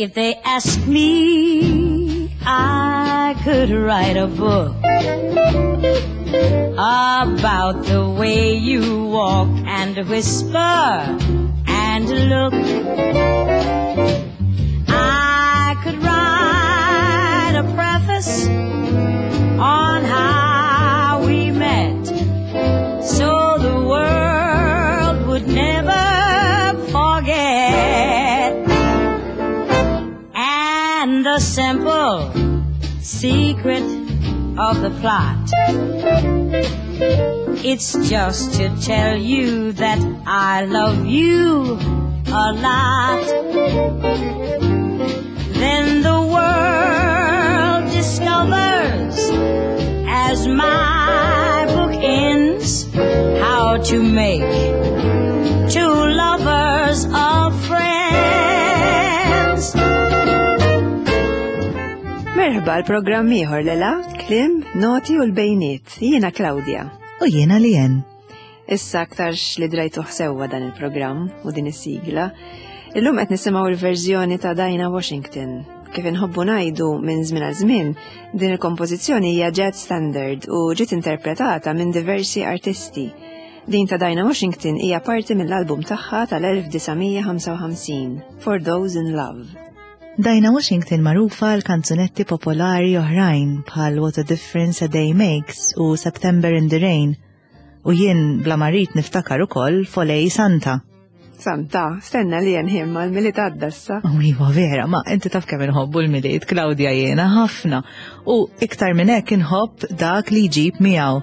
If they ask me, I could write a book about the way you walk and whisper and look. I could write a preface on how we met so the world would never forget. And the simple secret of the plot. It's just to tell you that I love you a lot. Then the world discovers, as my book ends, how to make two lovers of friends. Merħba l-programm ieħor lela, klim, noti u l-bejniet. Jiena Claudia. U jiena Lien. Issa aktarx li drajtuh sewwa dan il-programm u din is-sigla. Illum qed nisimgħu l-verżjoni ta' Dinah Washington. Kif inħobbu ngħidu minn żmien għal żmien, din il-kompożizzjoni hija jazz standard u ġiet interpretata minn diversi artisti. Din ta' Dinah Washington hija parti mill-album tagħha tal-1955, For Those in Love. Dinah Washington magħrufa għal kanzunetti popolari oħrajn bħal What a Difference a Day Makes u September in the Rain. U jien bla ma rrid niftakar ukoll Folej Santa. Santa, stenna li jenħim mal miliet għadda issa. Oh, iva vera, ma inti taf kemm inħobbu l-miliet, Claudia jiena ħafna. U iktar minn hekk inħobb dak li jġib miegħu.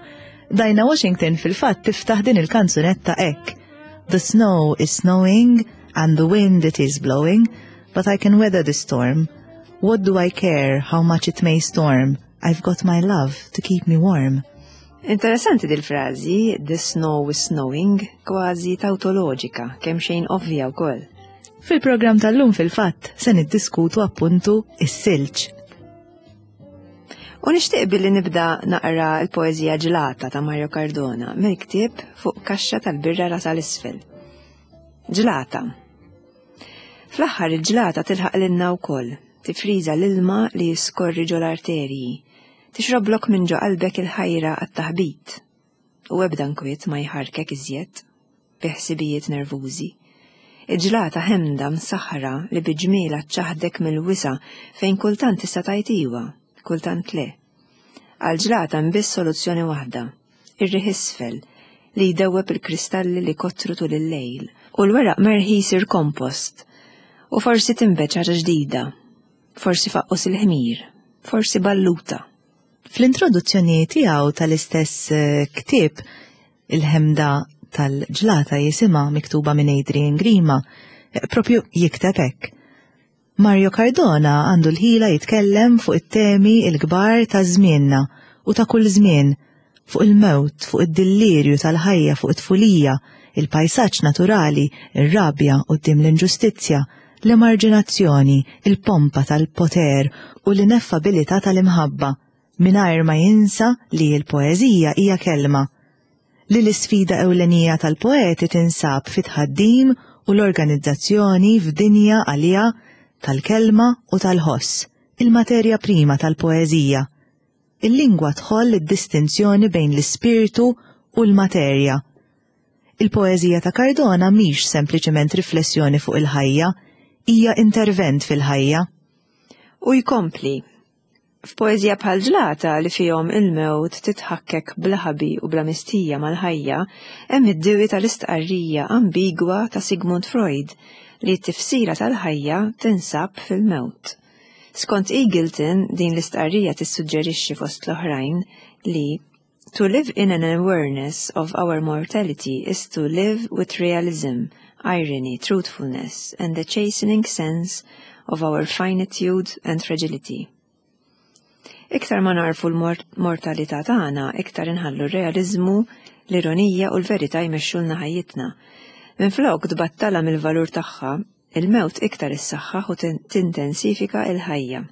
Dinah Washington fil-fatt tiftaħ din il-kanzunetta hekk. The snow is snowing and the wind it is blowing, but I can weather the storm. What do I care how much it may storm? I've got my love to keep me warm. Interessanti dil-frażi, the snow is snowing, kważi tautoloġika, kemm xejn ovvja wkoll. Fil-programm tal-lum fil-fatt se niddiskutu appuntu is-silġ. U nixtieq billi nibda naqra l-poeżija Ġlata ta' Mario Cardona mill-ktieb fuq kaxxa tal-birra rasa l-isfel. Ġlata. Fl-aħħar il-ġlata tilħaq lilna wkoll, tifriża l-ilma li jiskorri ġol-arterji, tixroblok minn ġo qalbek il-ħajra għat-taħbit, u ebda nkwiet ma jħarrkek iżjed bi ħsibijiet nervużi. Il-ġlata ħemda msaħħra li bi ġmielha ċċaħħdek mill-wisa' fejn kultant tista' tgħid iwa, kultant le. Għall-ġlata hemm biss soluzzjoni waħda, ir-riħ isfel li jdewweb il-kristalli li kottru tul il-lejl u l-weraq merħi jsir kompost u forsi tinbet xi ħaġa ġdida, forsi faqqus il-ħmir, forsi balluta. Fl-introduzzjoni tiegħu tal-istess eh, ktieb Il-ħemda tal-ġlata jisimha miktuba minn Adrian Grima, eh, propju jikteb hekk. Mario Cardona għandu l-ħila jitkellem fuq it-temi l-kbar ta' żmienna u ta' kull żmien, fuq il-mewt, fuq id-dillirju tal-ħajja, fuq it-tfulija, il-pajsaġġ naturali, ir-rabja quddiem l-inġustizzja, l-emarġinazzjoni, il-pompa tal-poter u l-ineffabilità tal-imħabba, mingħajr ma jinsa li l-poeżija hija kelma, li l-isfida ewlenija tal-poeti tinsab fit-tħaddim u l-organizzazzjoni f'dinja għaliha tal-kelma u tal-ħoss, il-materja prima tal-poeżija. Il-lingwa tħoll id-distinzjoni bejn l-ispirtu u l-materja. Il-poeżija ta' Cardona mhix sempliċement riflessjoni fuq il-ħajja, hija intervent fil-ħajja. U jkompli, F'poeżija bħal Ġlata li fihom il-mewt titħakkek bla ħabi u bla mistħija mal-ħajja, hemm id-diwi tal-istqarrija ambigwa ta' Sigmund Freud li t-tifsira tal-ħajja tinsab fil-mewt. Skont Eagleton, din l-istqarrija tissuġġerixxi fost l-oħrajn li To live in an awareness of our mortality is to live with realism, irony, truthfulness, and the chastening sense of our finitude and fragility. Iktar ma nagħrfu l-mortalità tagħna, iktar inħallu r-realiżmu, l-ironija u l-verità jmexxulna ħajjitna. Minflok tbattalha mill-valur tagħha, il-mewt iktar issaħħaħ u tintensifika l-ħajja.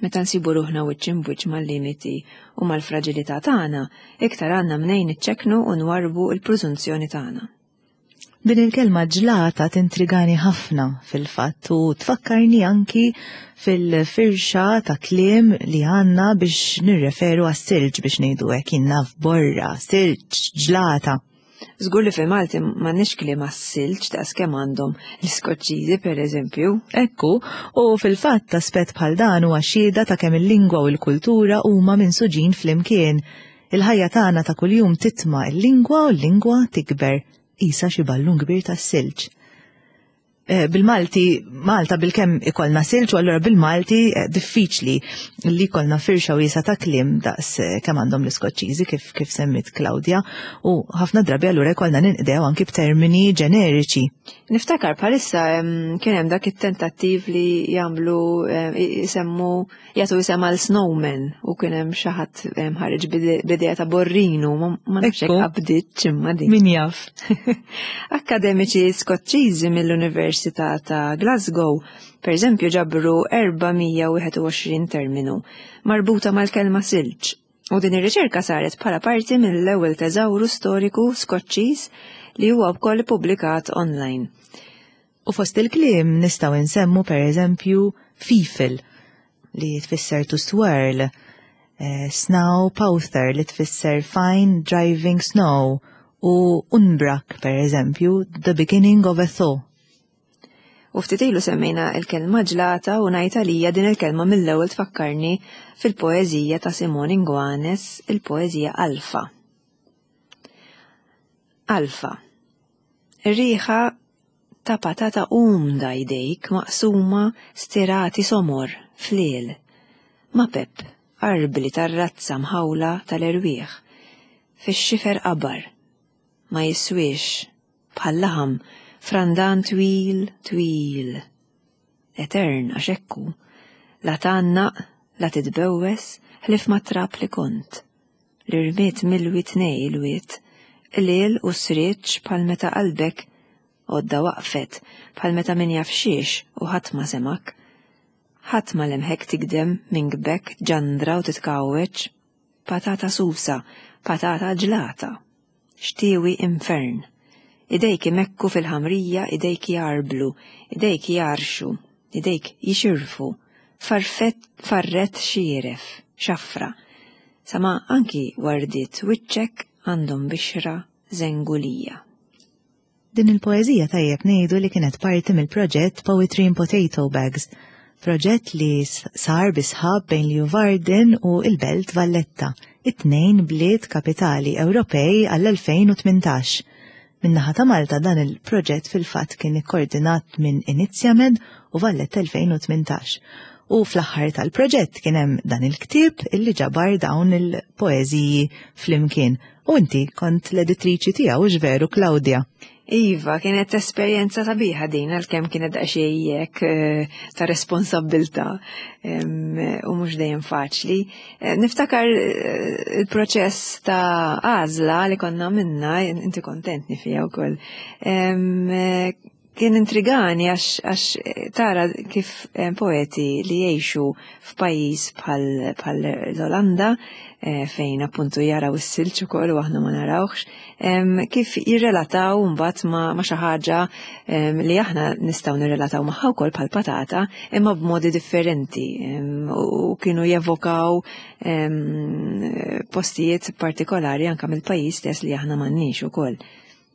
Meta nsibu ruħna wiċċ imb'wiċċ mal-limiti u mal-fraġilità tagħna, iktar għandna mnejn niċċekknu u nwarrbu l-prużunzjoni tagħna. Din il-kelma ġlata tintrigani ħafna fil-fatt u tfakkarni anki fil-firxa ta' kliem li għandna biex nirreferu għas-silġ biex ngħidu hekk jien naf borra, silġ, ġlata. Żgur li fil-Malti m'għandniex kliem għas-silġ daqs kemm għandhom l-Iskoċċiżi pereżempju. Ekku, u fil-fatt aspett bħal dan huwa xhieda ta' kemm il-lingwa u l-kultura huma minsuġin flimkien. Il-ħajja tagħna ta' kuljum titma' l-lingwa u l-lingwa tikber qisha xi ballun kbir tas-silġ. Eh, bil-Malti, Malta bil-kemm ikollna silġ u allura bil-Malti eh, diffiċli li jkollna firxa wiesa ta' kliem daqs eh, kemm għandhom l-Iskoċċiżi kif kif semmit Claudia u ħafna drabi allura jkollna ninqdew anki b'termini ġeneriċi. Niftakar bħalissa kien hemm dak it-tentattiv li jagħmlu jisemmu jagħtu isem għal snowman u kien hemm xi ħadd ħareġ b'idea ta' borrinu ma nafx hekk qabdiet imma din. Min jaf. Akkademiċi Skoċċiżi mill-Università ta' Glasgow pereżempju ġabru 421 terminu marbuta mal-kelma silġ u din ir-riċerka saret bħala parti mill-ewwel teżawru storiku Skoċċiż li huwa wkoll ippubblikat online. U fost il-kliem nistgħu nsemmu pereżempju fifel li tfisser to swirl, eh, snow powther li tfisser fine driving snow u unbrak pereżempju the beginning of a thaw. U ftit ilu semmejna il-kelma ġlata u ngħid għalija din il-kelma mill-ewwel tfakkarni fil-poeżija ta' Simone Inguanes, il-poeżija Alfa. Alfa. Riħa ta' patata umda jdejk maqsuma stirati somor, fliel. Mapep, arbli tar-razza mħawla tal-erwieħ. Fix-xifer qabar. Ma jiswiex, bħal laħam, f'randan twil, twil. Etern għax hekk hu. La tgħannaq, la titbewwes, ħlief mat-trab li kont. L-irmied milwi tnej il-wied, qliel u srieġ bħal meta qalbek għodda waqfet, bħal meta min jaf xiex u ħadd ma semgħek. Ħadd ma lemħek tigdem minn gbek ġandra u titkgħawweġ. Patata susa, patata ġlata. Xtiewi infern. Idejk imekku fil-ħamrija, idejk jgħarblu, idejk jgħarrxu, idejk jixirfu, farfett farrett xieref, xafra, sa ma anki wardiet wiċċek għandhom bixra żengulija. Din il-poeżija tajjeb ngħidu li kienet parti mill-proġett Poetry in Potato Bags, proġett li sar bi sħab bejn Leeuwarden u l-Belt Valletta, it-tnejn bliet kapitali Ewropej għall-2018. Min-naħa ta' Malta dan il-proġett fil-fatt kien ikkordinat minn Inizjamed u Valletta 2018. U fl-aħħar tal-proġett kien hemm dan il-ktieb illi ġabar dawn il-poeżiji flimkien. U inti kont l-editriċi tiegħu hux veru Claudia? Iva, kienet esperjenza sabiħa din għalkemm kienet daqsxejn hekk eh, ta' responsabbiltà u mhux dejjem faċli. Eh, niftakar eh, il-proċess ta' għażla li konna minna, inti kontentni fija wkoll. Kien intrigani għax għax eh, tara kif eh, poeti li jgħixu f'pajjiż bħal bħal l-Olanda eh, fejn appuntu jaraw is-silġ ukoll u aħna ma narawhx, kif jirrelataw mbagħad ma, ma xi ħaġa li aħna nistgħu nirrelataw magħha wkoll bħal patata imma b'modi differenti u kienu jevokaw postijiet partikolari anke mill-pajjiż stess li aħna m'għandniex ukoll.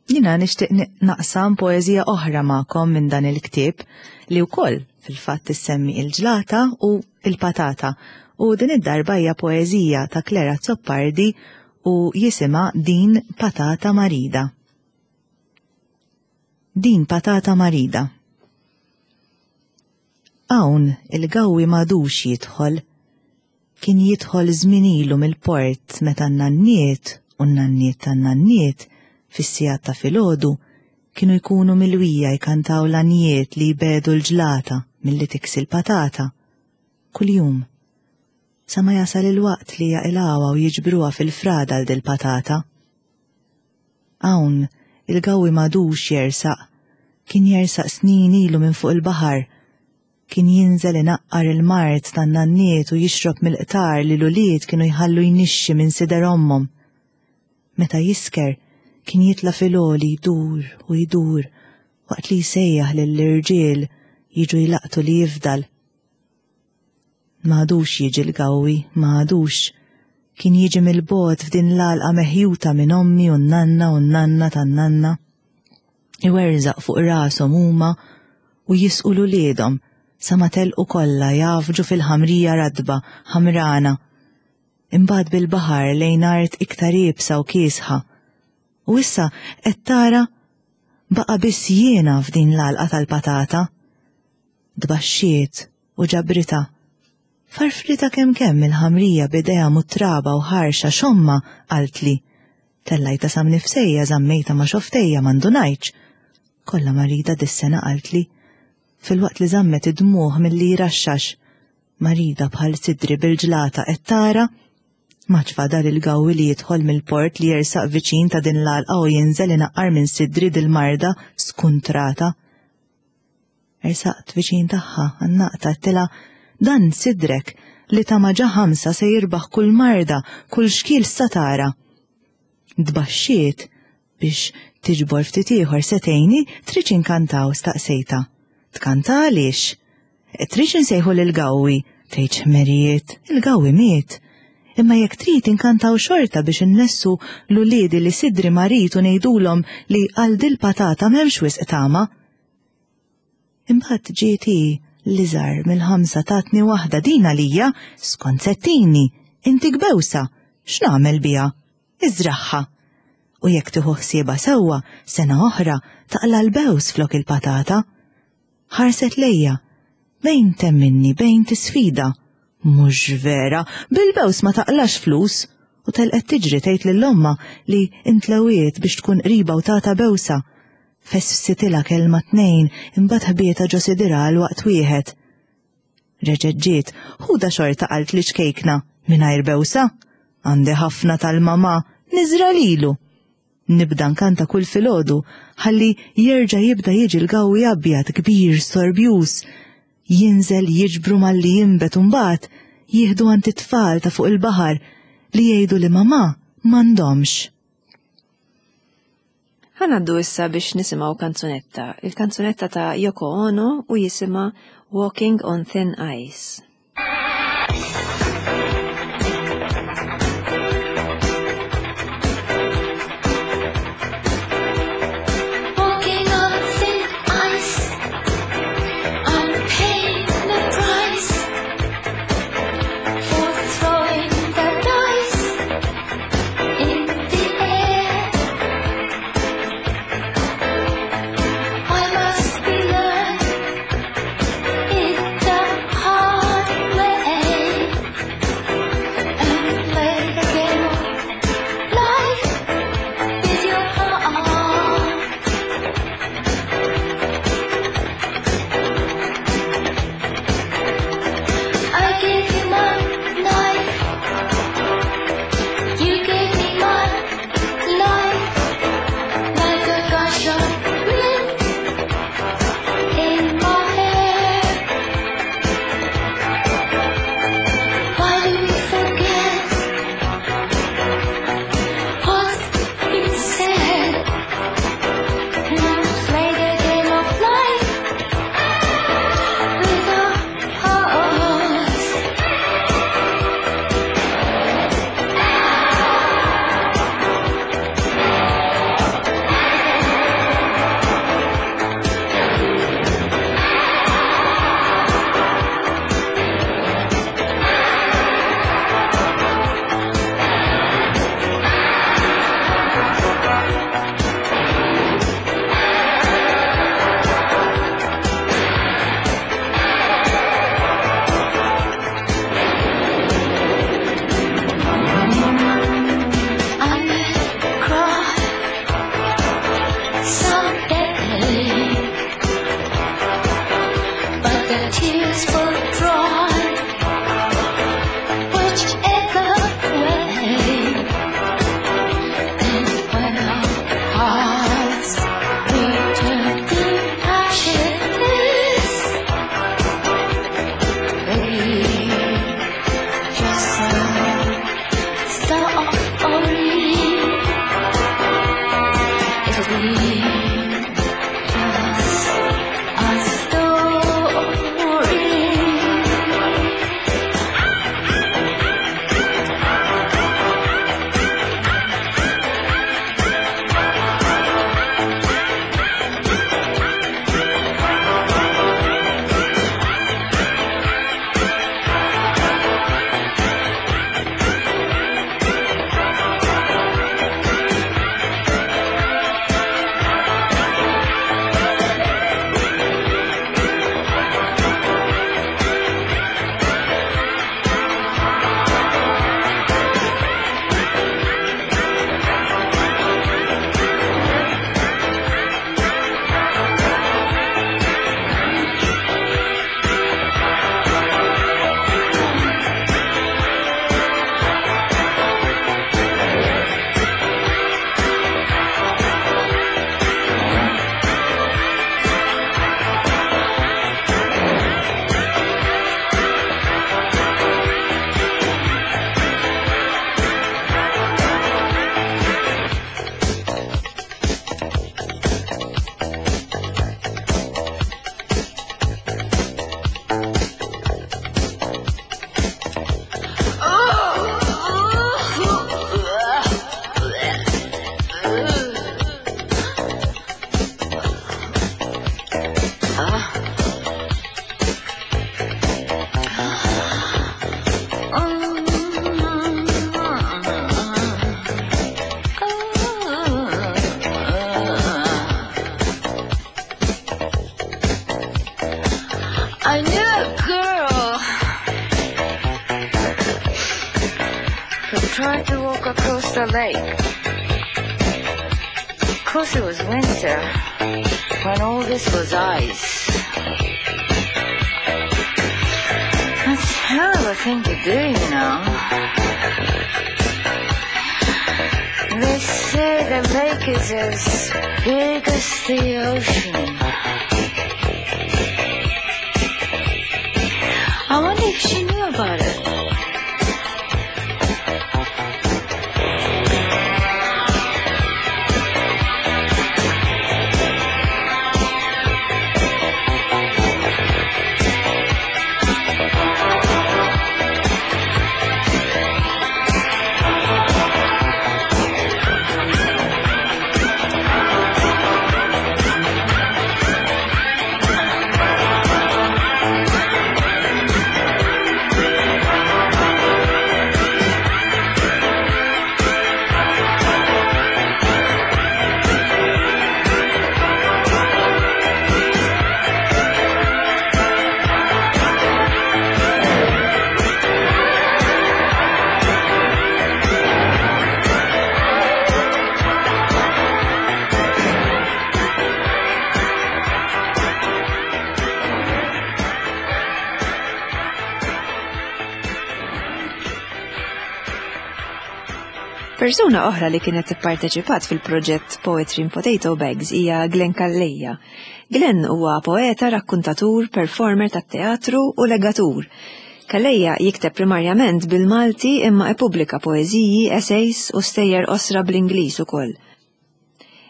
Jiena nixtieq naqsam poeżija oħra magħkom minn dan il-ktieb li wkoll fil-fatt issemmi il-ġlata u il-patata u din id-darba hija poeżija ta' Claire Azzopardi u jisimha Din Patata Marida. Din Patata Marida. Hawn il-gawwi m'għadux jidħol Kien jidħol żmien ilu mill-port meta n-nanniet u n-nanniet tan-nanniet fis-sigħat ta' filgħodu kienu jkunu milwija jkantaw l-għanjiet li jbegħdu l-ġlata milli tiksi l-patata. Kuljum. Sa ma jasal il-waqt li jaqilgħuha u jiġbruha fil-frada għal dil-patata. Hawn, il-gawwi m'għadux jersaq. Kien jersaq snin ilu minn fuq il-baħar. Kien jinżel inaqqar il-mard tan-nanniet u jixrob mill-qtar li l-ulied kienu jħallu jnixxi minn sider ommhom. Meta jisker, Kien jitla' fil-għoli jdur u jdur waqt li jsejjaħ lill-irġiel jiġu jlaqtu li jifdal. M'għadux jiġi l-gawwi, m'għadux. Kien jiġi mill-bogħod f'din l-għalqa meħjuta minn ommi u n-nanna u n-nanna tan-nanna. Iwerżaq fuq rashom huma u jisqu 'l uliedhom sa ma telqu kollha jgħaffġu fil-ħamrija ratba, ħamrana. Imbagħad bil-baħar lejn art iktar iebsa u kiesħa. U issa qed tara baqa' biss jiena f'din l-għalqa tal-patata. Tbaxxiet u ġabritha. Farfritha kemm kemm il-ħamrija b'idejha muttraba u ħarxa x'ommha qaltli. Tellajtha sa mnifsejja żammejtha ma' xofftejja ma ndunajtx. Kollha marida dis-sena qaltli. Filwaqt li żammet id-dmugħ milli jraxxax. Marida bħal sidri bil-ġlata qed tara? M'għadx fadal il-gawwi li jidħol mill-port li jersaq viċin ta' din l-għalqa u jinżel inaqqar minn sidri dil-marda skuntrata. Ersaqt viċin tagħha, għannaqtha, għedtilha, Dan sidrek li ta' ma ġa ħamsa se jirbaħ kull marda, kull xkiel sa tara. Tbaxxiet biex tiġbor ftit ieħor se tgħinni tridx inkantaw staqsejtha. Tkanta għaliex? Tridx insejħu lil Gawwi? Tgħidx ħmerijiet, il-Gawwi miet. Imma jekk trid inkantaw xorta biex innessu l-uliedi li sidri marid u ngħidulhom li għal dil-patata m'hemmx wisq tama. Imbagħad ġiet hi, l-iżgħar mill-ħamsa tatni waħda din għalija, skont settini, intik bewsa, x'nagħmel biha? Iżragħha. U jekk tieħu ħsiebha sewwa, sena oħra taqla' l-bews flok il-patata. Ħarset lejja, bejn temminni bejn tisfida. Mhux vera, bil-bews ma taqlax flus! U telqet tiġri tgħid lil ommha li intlewiet biex tkun qribha u tagħtha bewsa. Fesfsitilha kelma tnejn imbagħad ħbietha ġo sidirha għal waqt wieħed. Reġgħet ġiet, ħudha xorta qaltli ċkejkna, mingħajr bewsa. Għandi ħafna tal-mamà, niżra' lilu. Nibda nkanta kull filgħodu ħalli jerġa' jibda jiġi l-gawwi abjad kbir storbjuż. Jinżel jiġbru malli jinbet u mbagħad jieħdu għand it-tfal ta' fuq il-baħar li jgħidu li mamà m'għandhomx. Ħa ngħaddu issa biex nisimgħu kanzunetta, il-kanzunetta ta' Yoko Ono u jisimha Walking on Thin Ice. tried to walk across the lake. Of course it was winter, when all this was ice. That's a hell of a thing to do, you know. They say the lake is as big as the ocean. I wonder if she knew about it. Persuna oħra li kienet ipparteċipat fil-proġett Poetry in Potato Bags hija Glenn Calleja. Glenn huwa poeta, rakkuntatur, performer tat-teatru u legatur. Calleja jikteb primarjament bil-Malti imma ippubblika poeżiji, essays u stejjer qosra bl-Ingliż ukoll.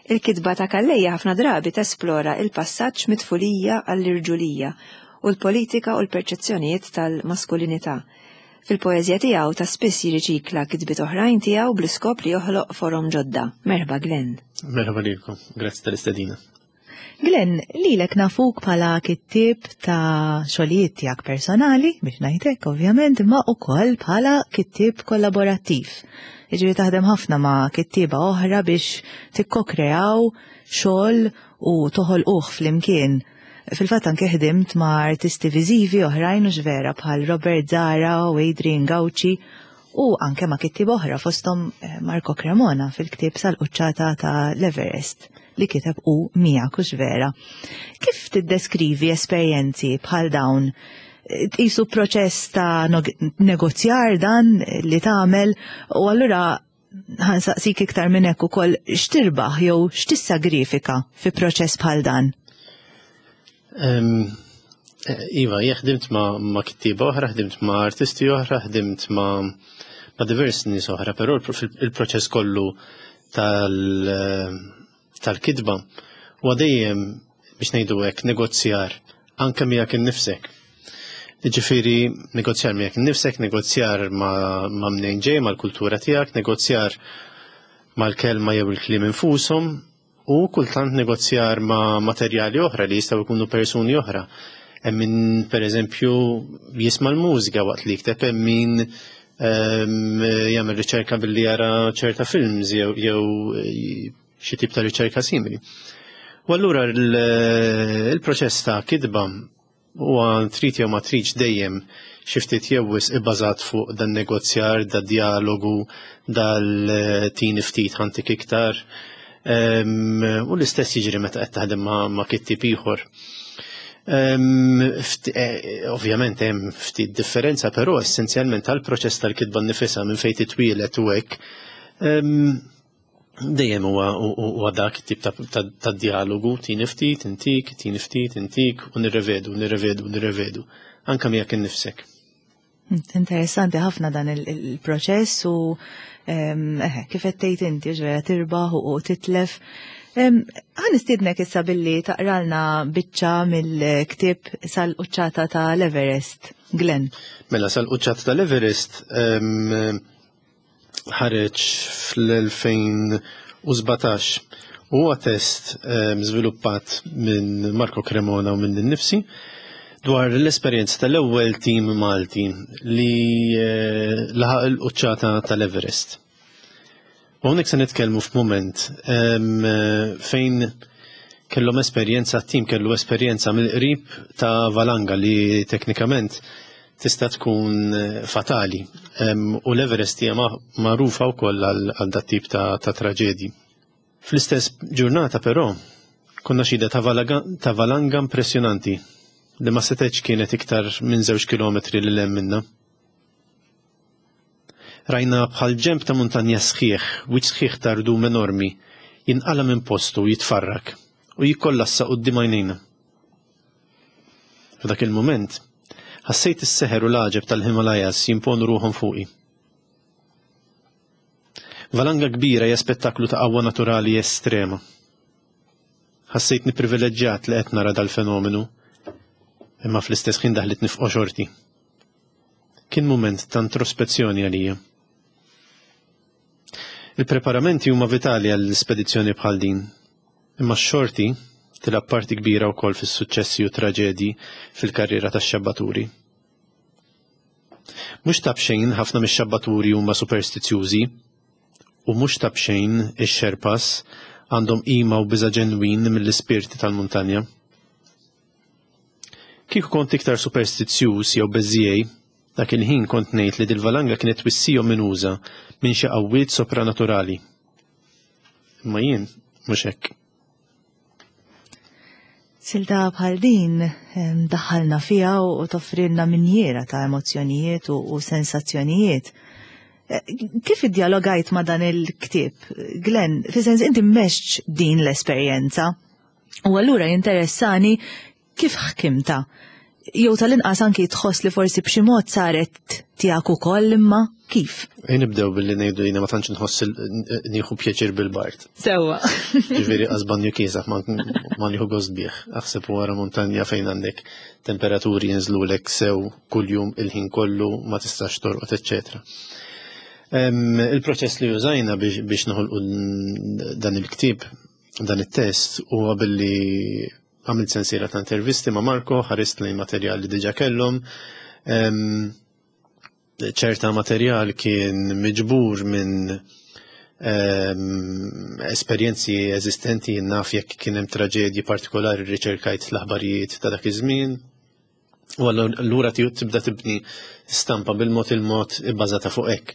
Il-kitba ta' Calleja ħafna drabi tesplora il-passaġġ mit-tfulija għall-irġulija u l-politika u l-perċezzjonijiet tal-maskulinità. Fil-poeżija tiegħu ta' spiss jirriċikla kitbiet oħrajn tiegħu bl-iskop li joħloq forom ġodda. Merħba Glenn. Merħba lilkom, grazzi tal-istedina. Glenn, lilek nafuk bħala kittieb ta' xogħlijiet tiegħek personali, biex ngħidlek ovvjament, imma wkoll bħala kittieb kollaborattiv. Jiġifieri taħdem ħafna ma' kittieba oħra biex tikkokreaw xogħol u toħolquh flimkien. Fil-fatt anke ħdimt ma' artisti viżivi oħrajn u vera bħal Robert Zara u Adrian Gauci u anke ma' kittieb oħra fosthom eh, Marco Cremona fil-ktieb sal-quċċata ta' l-Everest li kiteb u miegħek hux vera. Kif tiddeskrivi esperjenzi bħal dawn? Tqisu proċess ta' negozjar dan li tagħmel u allura ħansaqsik iktar minn hekk ukoll x'tirbaħ jew x'tissagrifika fi proċess bħal dan? Eh, iva, jien ħdimt ma', ma kittiba oħra, ħdimt ma' artisti oħra, ħdimt ma' ma' diversi nies oħra, però il-proċess kollu eh, tal-kitba huwa dejjem biex ngħidu hekk negozjar anke miegħek innifsek. Ġifieri negozjar miegħek innifsek, negozjar ma' ma' mnejn ġej, mal-kultura tiegħek, negozjar mal-kelma jew il-kliem infushom u kultant negozjar ma' materjali oħra li jistgħu jkunu persuni oħra. Hemm min pereżempju jisma' l-mużika waqt li jikteb, hemm min jagħmel riċerka billi jara ċerta films jew jew xi tip ta' riċerka simili. U allura il-proċess ta' kitba huwa trid jew ma tridx dejjem xi ftit jew wisq ibbażat fuq dan negozjar, da dialogu, dal-tini ftit ħantik iktar. U l-istess jiġri meta qed taħdem ma' kittieb ieħor. Eh, ovvjament hemm ftit differenza, però essenzjalment tal-proċess tal-kitba nnifisha minn fejn titwielet u hekk dejjem huwa huwa dak it-tip ta' dialogu, tini ftit, intik, tini ftit, intik, u nirrevedu, nirrevedu, nirrevedu, anke miegħek innifsek. Interessanti ħafna dan il-proċess u eh, kif qed tgħid inti ġvera tirbaħ u titlef. Ħa nistiednek issa billi taqralna biċċa mill-ktieb sal-quċċata ta' l-Everest, Glenn. Mela sal-quċċata tal-Everest ħareġ fl-2017 u huwa test żviluppat minn Marco Cremona u minn innifsi dwar l-esperjenza tal-ewwel tim Malti li eh, laħaq il-quċċata tal-Everest. U hawnhekk se nitkellmu f'mument fejn kellhom esperjenza, tim kellu esperjenza mill-qrib ta' valanga li teknikament tista' tkun eh, fatali. U l-Everest hija magħrufa wkoll għal dat tip ta' traġedji. Fl-istess ġurnata però, konna xhieda ta' valanga impressjonanti li ma setgħetx kienet iktar minn żewġ kilometri lil hemm minna. Rajna bħal ġenb ta' muntanja sħiħ, wiċċ sħiħ ta' rdum enormi, jinqala' minn postu u jitfarrak u jikkollassa quddiem għajnejna. F'dak il-mument, ħassejt is-seħer u l-għaġeb tal-Himalayas jimponu ruħhom fuqi. Valanga kbira hija spettaklu ta' qawwa naturali estrema. Ħassejtni privileġġjat li qed nara dal-fenomenu, imma fl-istess ħin daħlitni f'qoxorti. Kien mument ta' introspezzjoni għalija. Il-preparamenti huma vitali għal spedizzjoni bħal din, imma x-xorti tilgħab parti kbira wkoll fis-suċċessi u traġedji fil-karriera tax-xabbaturi. Mhux ta' b'xejn ħafna mix-xabbaturi huma superstizzjużi u mhux ta' b'xejn ix-Sherpas għandhom qima u biża' ġenwin mill-ispirti tal-muntanja. Kieku kont iktar superstizzjuż jew beżżiegħi, dak il-ħin kont ngħid li dil-valanga kienet twissija ominuża minn xi qawwiet sopranaturali. Imma jien mhux hekk. Silta bħal din daħħalna fiha u toffrilna minjiera ta' emozzjonijiet u sensazzjonijiet. Eh, kif iddialogajt ma' dan il-ktieb? Glenn, fi sens inti mexx din l-esperjenza. U allura jinteressani kif ħkimta. Jew tal-inqas anki tħoss li forsi b'xi mod saret tiegħek ukoll imma kif? Ejn nibdew billi ngħidu jiena ma tantx nħoss nieħu pjaċir bil-bart. Sewwa. Ġifieri qasban kiesaħ ma nieħu gost bih. Aħseb wara muntanja fejn għandek temperaturi jinżlulek sew kuljum il-ħin kollu ma tistax torqod, eċċetera. Il-proċess li użajna biex noħolqu dan il-ktieb dan it-test huwa billi għamilt sensiela ta' intervisti ma' Marko, ħarist lejn materjal li diġa kellhom. Ċerta materjal kien miġbur minn esperjenzi eżistenti naf jekk kien hemm traġedji partikolari riċerkajt l-aħbarijiet ta' dak iż-żmien. U allura tibda tibni stampa bil-mod il-mod ibbażata fuq hekk.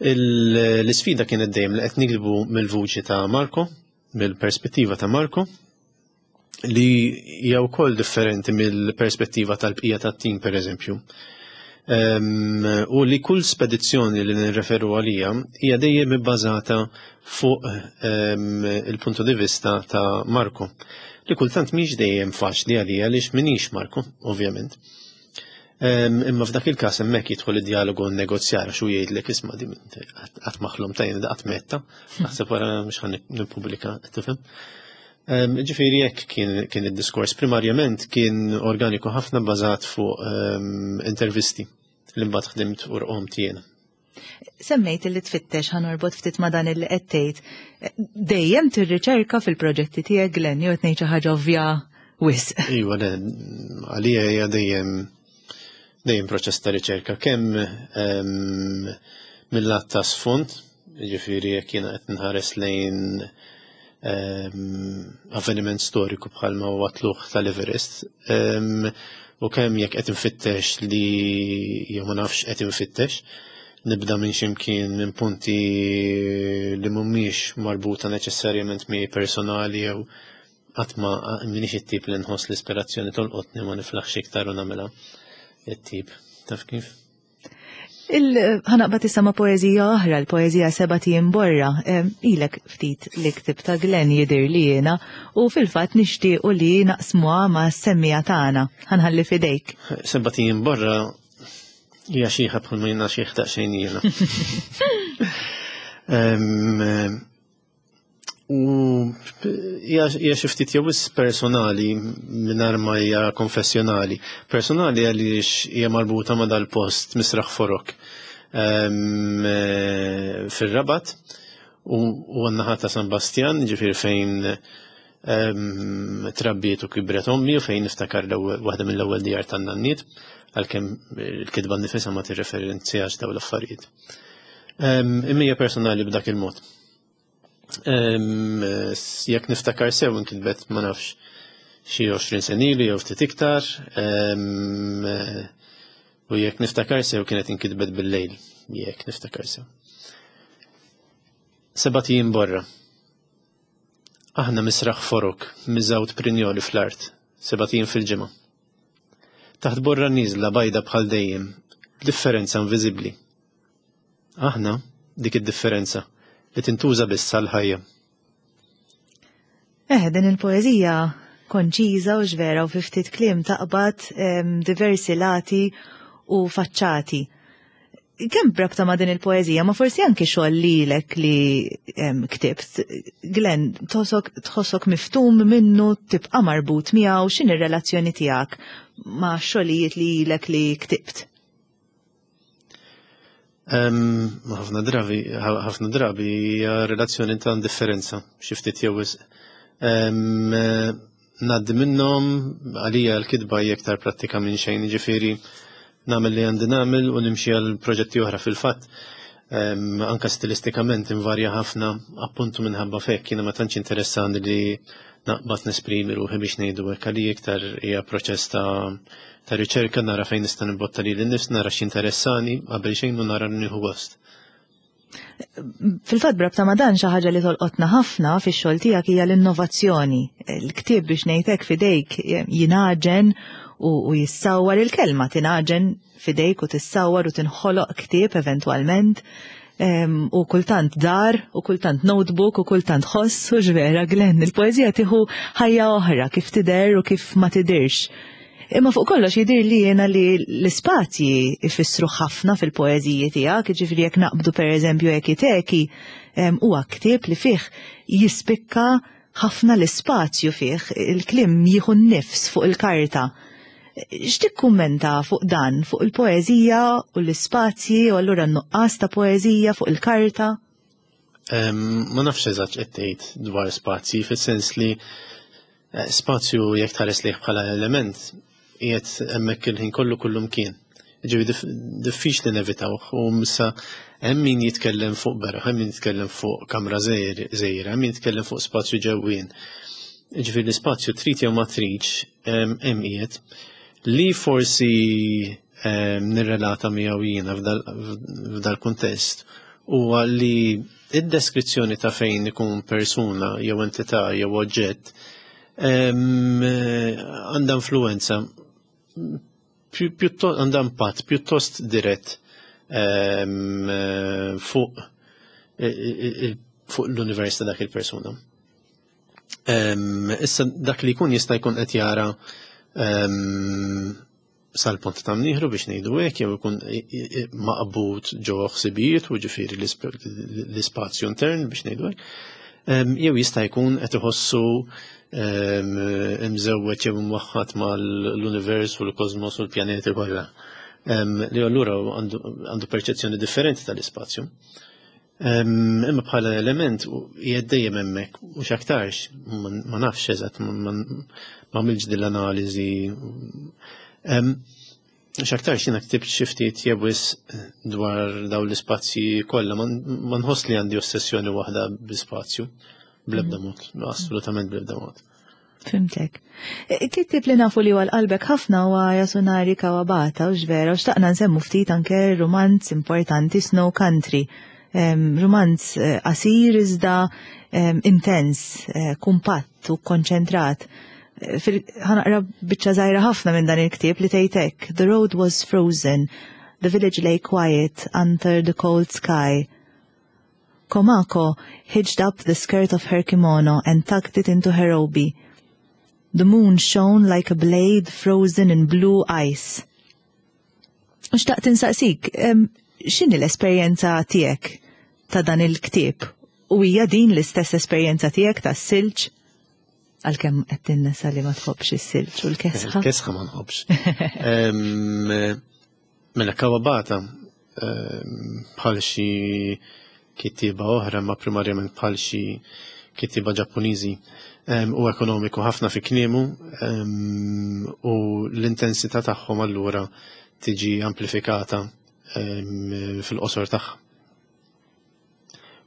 L-isfida kienet dejjem li qed nikdbu mill-vuċi ta' Marko, mill-perspettiva ta' Marko, li hija wkoll differenti mill-perspettiva tal-bqija tat-tim pereżempju. Ehm, u li kull spedizzjoni li nirreferu għalija hija dejjem ibbażata fuq ehm, il-punto di vista ta' Marko. Li kultant mhix dejjem faċli għalija għaliex minix Marko, ovvjament. Ehm, imma f'dak il-każ hemmhekk jidħol id-dialogu u negozjar għax hu jgħidlek isma' di qatt maħlum ta' jiena qatt metta, naħseb wara mhux ħan nippubblika, tifhem. Ehm, ġifieri hekk kien id-diskors. Primarjament kien organiku ħafna bbażat fuq ehm, intervisti li mbagħad ħdimt u rqomt jiena. Semmejt li tfittex ħa norbot ftit ma' dan il qed tgħid. Dejjem tirriċerka fil-proġetti tiegħek Glenn jew qed ngħid xi ħaġa ovvja wisq. Iva, le, għalija hija dejjem dejjem proċess ta' riċerka kemm ehm, mill-lat ta' sfond, jiġifieri jekk jiena qed nħares lejn ehm, avveniment storiku bħalma huwa tluħ tal-Everest, ehm, u kemm jekk qed infittex li jew ma nafx qed infittex, nibda minn ximkien minn punti li mhumiex marbuta neċessarjament miegħi personali jew qatt ma minix it-tip li nħoss l-ispirazzjoni tolqotni ma niflaħx iktar u nagħmilha it-tip. Taf kif? Il-ħanaqba issa ma' poeżija oħra, l-poeżija Seba' Tiem Borra. Ilek ftit li ktib ta' Glenn jidir li jiena u fil-fatt nixtiequ li naqsmuha ma' semmija tagħna. Ħanħalli fidejk. Seba' Tiem Borra hija xieħa bħalma jiena xieħ daqsxejn jiena. U hija xi ftit jew personali mingħajr ma hija konfessjonali. Personali għaliex hija marbuta ma' dal-post Misraħ Forok ehm, eh, fir-Rabat u għan-naħa ta' San Bastjan, ġifier fejn ehm, trabbiet u kibret ommi u fejn niftakar waħda mill-ewwel djar tan-nanniet, għalkemm il-kitba nifisha ma tirreferenzjax dawn l-affarijiet. Ehm, imma hija personali b'dak il-mod. Jekk niftakar sew inkitbet ma nafx xi 20 sena ilu jew ftit iktar. U jekk niftakar sew kienet inkitbet bil-lejl, jekk niftakar sew. Sebat ijiem borra. Aħna misraħ forok, miżgħud prinjoli fl-art, sebat ijiem fil-ġimgħa. Taħt borra nieżla bajda bħal dejjem, b'differenza inviżibbli. Aħna dik id-differenza li tintuża biss għall-ħajja. Eh, din il-poeżija konċiża u x'vera u fi ftit kliem taqbad diversi lati u faċċati. Kemm brabta ma' din il-poeżija, ma forsi anki xogħol lilek li ktibt. Glenn, tħossok miftum minnu tibqa' marbut miegħu x'inhi r-relazzjoni tiegħek ma' xogħlijiet li ilek li ktibt? Ħafna drabi, ħafna drabi hija relazzjoni ta' indifferenza, xi ftit jew wisq. Ngħaddi minnhom għalija l-kitba hija iktar prattika minn xejn, jiġifieri nagħmel li għandi nagħmel u nimxi għal proġetti oħra fil-fatt. Anka stilistikament invarja ħafna appuntu minħabba fekk jiena ma tantx interessani li naqbad nesprimi ruħi biex ngħidu hekk għalija iktar hija proċess ta' ta' riċerka nara fejn nista' nimbotta lili nnifs, nara x'interessani qabel xejn u nara nieħu gost. Fil-fatt brabta ma' dan xi ħaġa li tolqotna ħafna fix-xogħol tiegħek hija l-innovazzjoni. Il-ktieb biex ngħidlek f'idejk jingħaġen u jissawwar il-kelma tingħaġen f'idejk u tissawwar u tinħoloq ktieb eventwalment u kultant dar u kultant notebook u kultant ħoss u x'vera Glenn il-poeżija tieħu ħajja oħra kif tidher u kif ma tidirx. Imma fuq kollox jidir li jiena li l-ispazji ifissru ħafna fil-poeżiji tiegħek, jiġifieri jekk naqbdu pereżempju Ekiteki, huwa ktieb li fih jispikka ħafna l-ispazju fih, il-kliem jieħu n-nifs fuq il-karta. X'tikkummenta fuq dan, fuq il-poeżija u l-ispazji u allura n-nuqqas ta' poeżija fuq il-karta? Ma nafx eżatt x'qed tgħid dwar spazji, fis-sens li eh, spazju jekk tħares lejh bħala element qiegħed hemmhekk il-ħin kollu kullum kien. Ġifi diffiċli nevitawh u missa hemm min jitkellem fuq beraħ, hemm min jitkellem fuq kamra żgħira, hemm min jitkellem fuq spazju ġewwien. Ġifi l-ispazju trid jew ma tridx hemm qiegħed li forsi nirrelata miegħu jiena f'dal-kuntest huwa li id-deskrizzjoni ta' fejn ikun persuna jew entità jew oġġett għandha influenza pjuttost għandha impatt pjuttost dirett fuq fuq l-univers ta' dak il-persuna. Issa dak li jkun jista' jkun qed jara sal-punt ta' mnieħru biex ngħidu hekk jew ikun maqbud ġo ħsibijiet u ġifieri l-ispazju intern biex ngħidu hekk. Jew jista' jkun qed iħossu imżewweġ jew imwaħħad mal-univers u l-kosmos u l-pjaneti kollha. Li allura għandu perċezzjoni differenti tal-ispazju. Imma bħala element qiegħed dejjem hemmhekk u x'aktarx ma nafx eżatt ma għamilx din l-analiżi. X'aktarx jiena ktibt xi ftit jew wisq dwar dawn l-ispazji kollha ma nħoss li għandi ossessjoni waħda bl-ispazju bl-ebda mm. mod, assolutament bl-ebda mod. Fimtek. E, Kittib li nafu li għal qalbek ħafna huwa Yasunari Kawabata u x'vera u xtaqna nsemmu ftit anke romanz importanti Snow Country. Romanz eh, qasir iżda intens, eh, kumpatt u konċentrat. Eh, ħanaqra biċċa żgħira ħafna minn dan il-ktieb li tgħid The road was frozen, the village lay quiet under the cold sky. Komako hitched up the skirt of her kimono and tucked it into her obi. The moon shone like a blade frozen in blue ice. U xtaqt insaqsik, x'inhi l-esperjenza tiegħek ta' dan il-ktieb? U hija din l-istess esperjenza tiegħek tas-silġ? Għalkemm qed tinnesa li ma tħobbx is-silġ u l-kesħa. Il-kesħa ma nħobbx. Mela Kawabata bħal xi kittieba oħra, ma primarjament bħal xi kittieba Ġappuniżi u ekonomiku ħafna fi kliemu u l-intensità tagħhom allura tiġi amplifikata fil-qosor tagħha.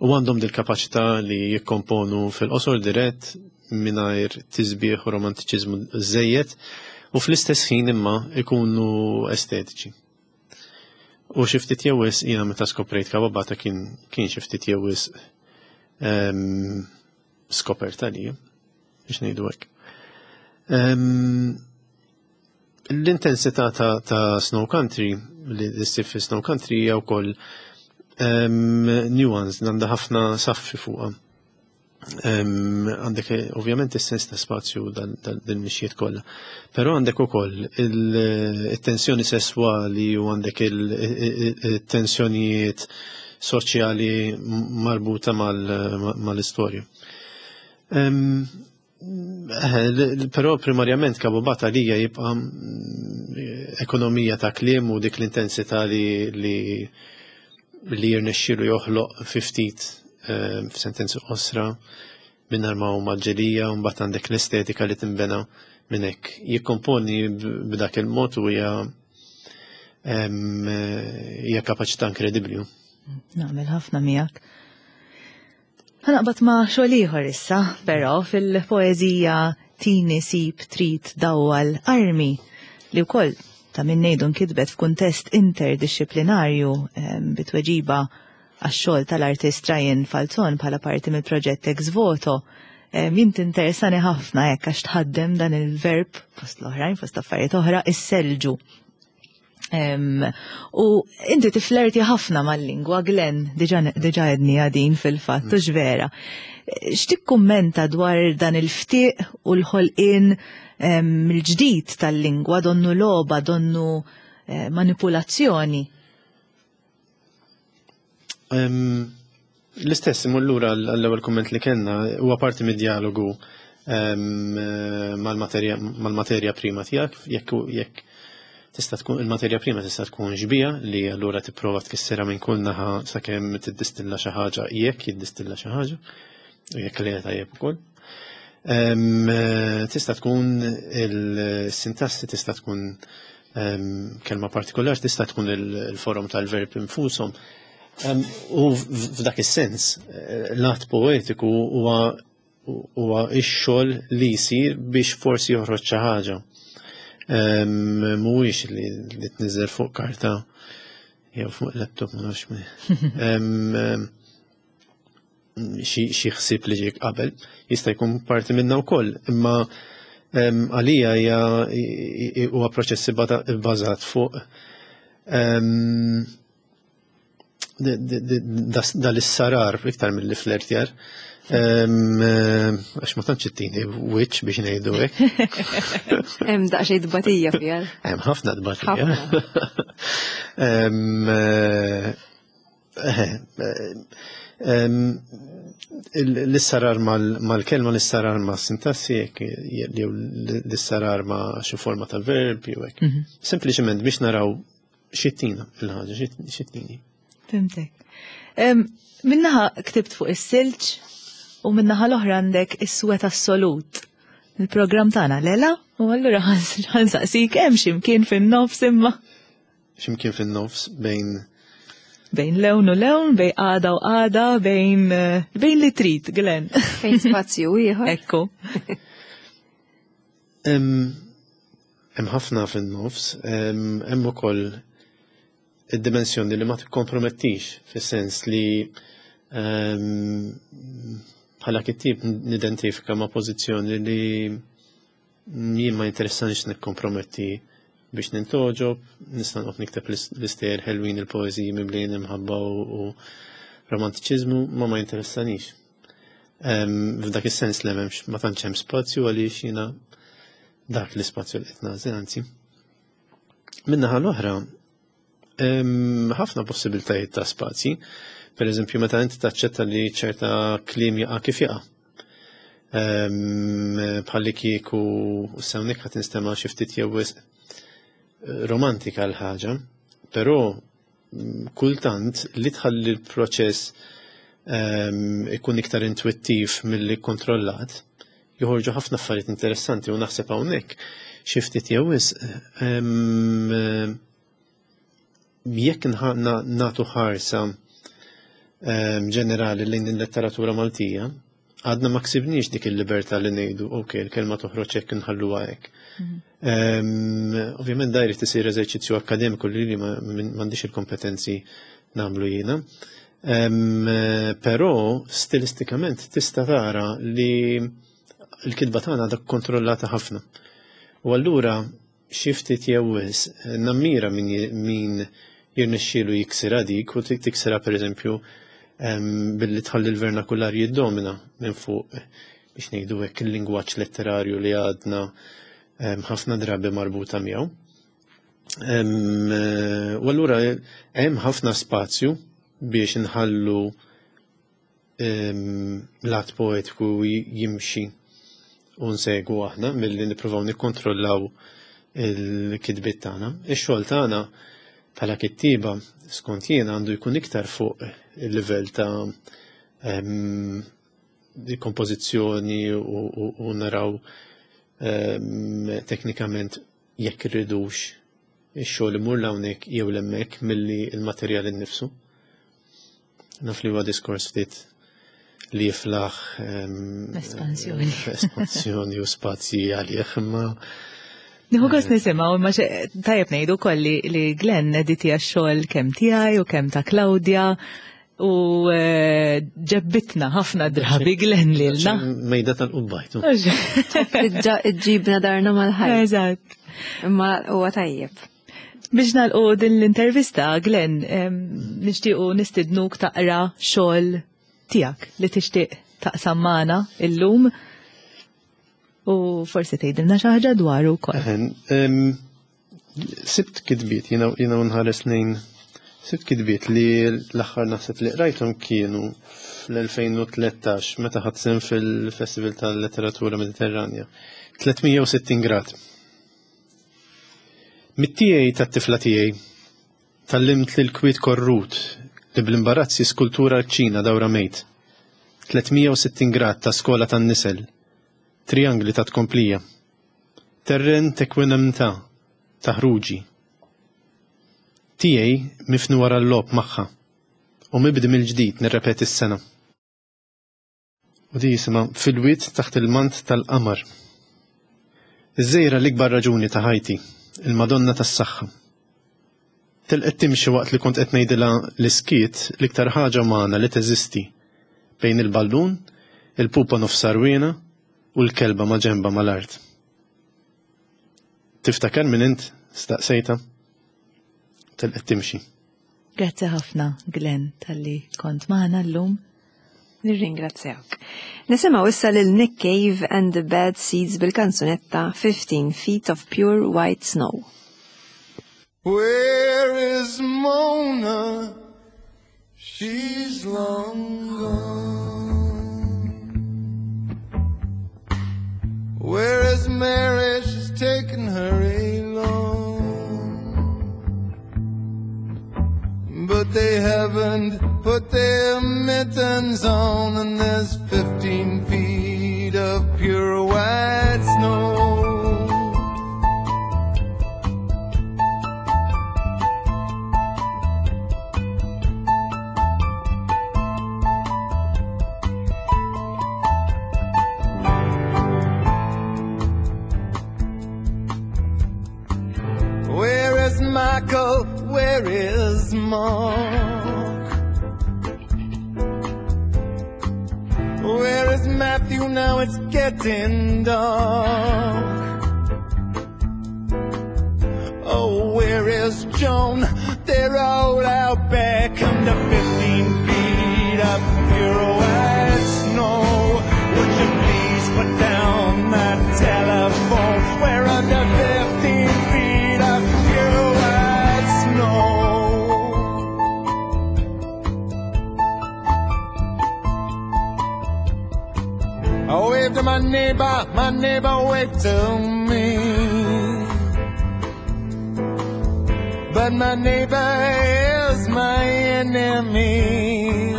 U għandhom dil-kapaċità li jikkomponu fil-qosor dirett mingħajr tisbieħ u romantiċiżmu żejjed u fl-istess ħin imma ikunu estetiċi. U xi ftit jew wisq jiena meta skoprejt Kawabata kien kien xi ftit jew wisq ehm, skoperta li biex ngħidu hekk. Ehm, l-intensità ta', ta Snow Country li ssib fi Snow Country hija wkoll ehm, nuance għandha ħafna saffi fuqha. Għandek eh, ovvjament is-sens ta' spazju dal-mixjiet kollha. Però għandek ukoll il-tensjoni sesswali u għandek il-tensjonijiet soċjali marbuta mal-istorja. Eh, però primarjament Kabubata lija jibqa' mm, ekonomija ta' kliem u dik l-intensità li li jirnexxielu joħloq fi ftit eh, f'sentenzi qosra mingħajr ma huma ġelija u mbagħad għandek l-estetika li tinbena minn hekk. Jikkomponi b'dak il-mod u hija hija kapaċità inkredibbli. Naqbel ħafna miegħek. Ħanaqbad ma' xogħol ieħor issa, però fil-poeżija Tini sib trid dawwal armi li wkoll ta' min ngħidu nkitbet f'kuntest interdixxiplinarju bitweġiba għax-xogħol tal-artist Ryan Falzon bħala parti mill-proġett Ex Voto. Jien tinteressani ħafna hekk għax tħaddem dan il-verb fost l-oħrajn, fost affarijiet oħra, is-selġu. U inti tiflerti ħafna mal-lingwa, Glenn, diġa edni għadin fil-fatt, mm. vera. X'tikkummenta dwar dan il-ftiq u l-ħolqien mill-ġdid tal-lingwa, donnu loba, donnu eh, manipulazzjoni? L-istess imur lura għall-ewwel kumment li kellna, huwa parti mid-dialogu mal-materja prima tiegħek, jekk jekk tista' tkun il-materja prima tista' tkun xbija li allura tipprova tkissirha minn kull naħa sakemm tiddistilla xi ħaġa jekk jiddistilla xi ħaġa u jekk le tajjeb ukoll. Tista' tkun il-sintassi tista' tkun kelma partikolari tista' tkun il-forom tal-verb infushom. U f'dak is-sens, eh, l-att poetiku huwa huwa x-xogħol li jsir biex forsi joħroġ xi ħaġa. Mhuwiex li tniżel fuq karta jew fuq laptop ma nafx xi ħsieb li ġiek qabel, jista' jkun parti minna wkoll, imma għalija hija huwa proċess ibbażat fuq dal-issarar iktar mill-li flertjar. Għax ma tantx ittini wiċċ biex ngħidu hekk. Hemm daqsxejn tbatija fiha. Hemm ħafna tbatija. L-issarar mal-kelma, l-issarar ma' sintassi, jew l-issarar ma' xi forma ta' verb, jew hekk. Mhm. Sempliċement biex naraw xittina il-ħaġa, xittini. Fimtek. Minnaħa ktibt fuq is-silġ u minnaħa l-oħra għandek is-swet assolut. Il-programm tagħna lela u allura ħansaqsik hemm x'imkien fin-nofs imma. X'imkien fin-nofs bejn bejn lewn u lewn, bejn għada u għada, bejn eh, bejn li trid, Glenn. Bejn spazju ieħor. Ekku. Hemm ħafna fin-nofs, hemm ukoll id-dimensjoni li ma tikkompromettix fis-sens li bħala kittieb nidentifika ma' pożizzjoni li Jien ma jinteressanix nikkomprometti biex nintoġob, nista' noqgħod nikteb l-istejjer ħelwin il-poeżiji mimlijin imħabba u romantiċiżmu, ma ma jinteressanix. F'dak is-sens li m'hemmx ma tantx hemm spazju għaliex jiena dak l-ispazju li qed nagħżel anzi. Min-naħa l-oħra, ħafna possibiltajiet ta' spazji. Per eżempju, meta inti taċċetta li ċerta kliem jaqa' kif jaqa'. Bħalli kieku sewnek ħadd instema' xi ftit jew eh, romantika l-ħaġa, però mm, kultant li tħalli l-proċess ikun iktar intuittiv milli kontrollat, joħorġu ħafna affarijiet interessanti u naħseb hawnhekk xi ftit jew wisq jekk nagħtu ħarsa ġenerali lejn il-letteratura Maltija, Għadna ma ksibniex dik il-libertà li ngħidu, ok, il-kelma toħroġ hekk inħalluha hekk. Ovvjament da jrid isir eżerċizzju akkademiku li li m'għandix il-kompetenzi nagħmlu jiena. Però stilistikament tista' tara li l-kitba tagħna għadha kontrollata ħafna. U allura xi ftit jew wisq nammira min min jirnexxielu jiksirha dik u tiksirha pereżempju billi tħalli l-vernakular jiddomina minn fuq biex ngħidu hekk il-lingwaġġ letterarju li għadna ħafna drabi marbuta miegħu. U allura hemm ħafna spazju biex nħallu l-att poetiku jimxi u nsegwu aħna milli nippruvaw nikkontrollaw il-kitbiet tagħna. Ix-xogħol tagħna bħala kittieba skont jien għandu jkun iktar fuq il-livell ta' kompożizzjoni u naraw teknikament jekk irridux ix-xogħol imur l'hawnhekk jew l'hemmhekk milli l-materjal innifsu. Naf li huwa diskors ftit li jiflaħ espansjoni. Espansjoni u spazji għalih, imma Nieħu gost nisimgħu imma tajjeb ngħidu wkoll li Glenn editija x-xogħol kemm tiegħi u kemm ta' Claudia u eh, ġebbitna ħafna drabi Glenn lilna. Mejda tal-qubbajtu. Ġibna darna mal-ħajt. Eżatt. Imma huwa tajjeb. Biex nagħlqu din l-intervista, Glenn, nixtiequ nistidnuk taqra xogħol tiegħek li tixtieq taqsam magħna illum u forsi tgħidilna xi ħaġa dwaru wkoll. Sibt kitbiet, jiena nħares lejn sibt kitbiet li l-aħħar naħseb li qrajthom kienu fl-2013 meta ħadt sehem fil-Festival tal-Letteratura Mediterranja. 360 grad. Mit-tiegħi tat-tifla tiegħi tgħallimt li l-kwiet korrut li bl-imbarazz jiskultura l-kċina dawra mejt. 360 grad ta' skola tan-nisel. Trijangli ta' tkomplija. Terren t'ekwinamtà ta' ħruġi. Tiegħi mifni wara l-logħob magħha u mibdi mill-ġdid nirrepeti s-sena. U di jisimha Fil-wied taħt il-mant tal-qamar. Iż-żejra l-ikbar raġuni ta' ħajti, il-Madonna tas-saħħa. Telqet timxi waqt li kont qed ngħidilha li s-skiet l-iktar ħaġa umana li teżisti bejn il-ballun, il-pupa nofs għarwiena u l-kelba maġenbha mal-art. Tiftakar min int? staqsejtha. Telqet timxi. Grazzi ħafna, Glenn, talli kont magħna llum. Nirringrazzjawk. Nisimgħu issa lil Nick Cave and the Bad Seeds bil-kanzunetta 15 Feet of Pure White Snow. Where is Mona? She's long gone. Where is Mary? She's taken her along. But they haven't put their mittens on, and there's 15 feet of pure white snow. Where is Michael? Where is Mark? Where is Matthew? Now it's getting dark. Oh, where is Joan? They're all out back under 15 feet of pure white snow. Would you please put down that telephone? We're under 15 feet of pure white snow. I waved to my neighbor, my neighbor waved to me. But my neighbor is my enemy.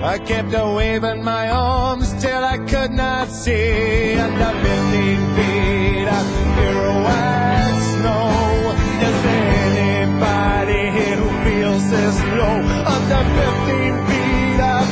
I kept a waving my arms till I could not see. Under 15 feet of pure white snow. Is there anybody here who feels this low? Under 15 feet of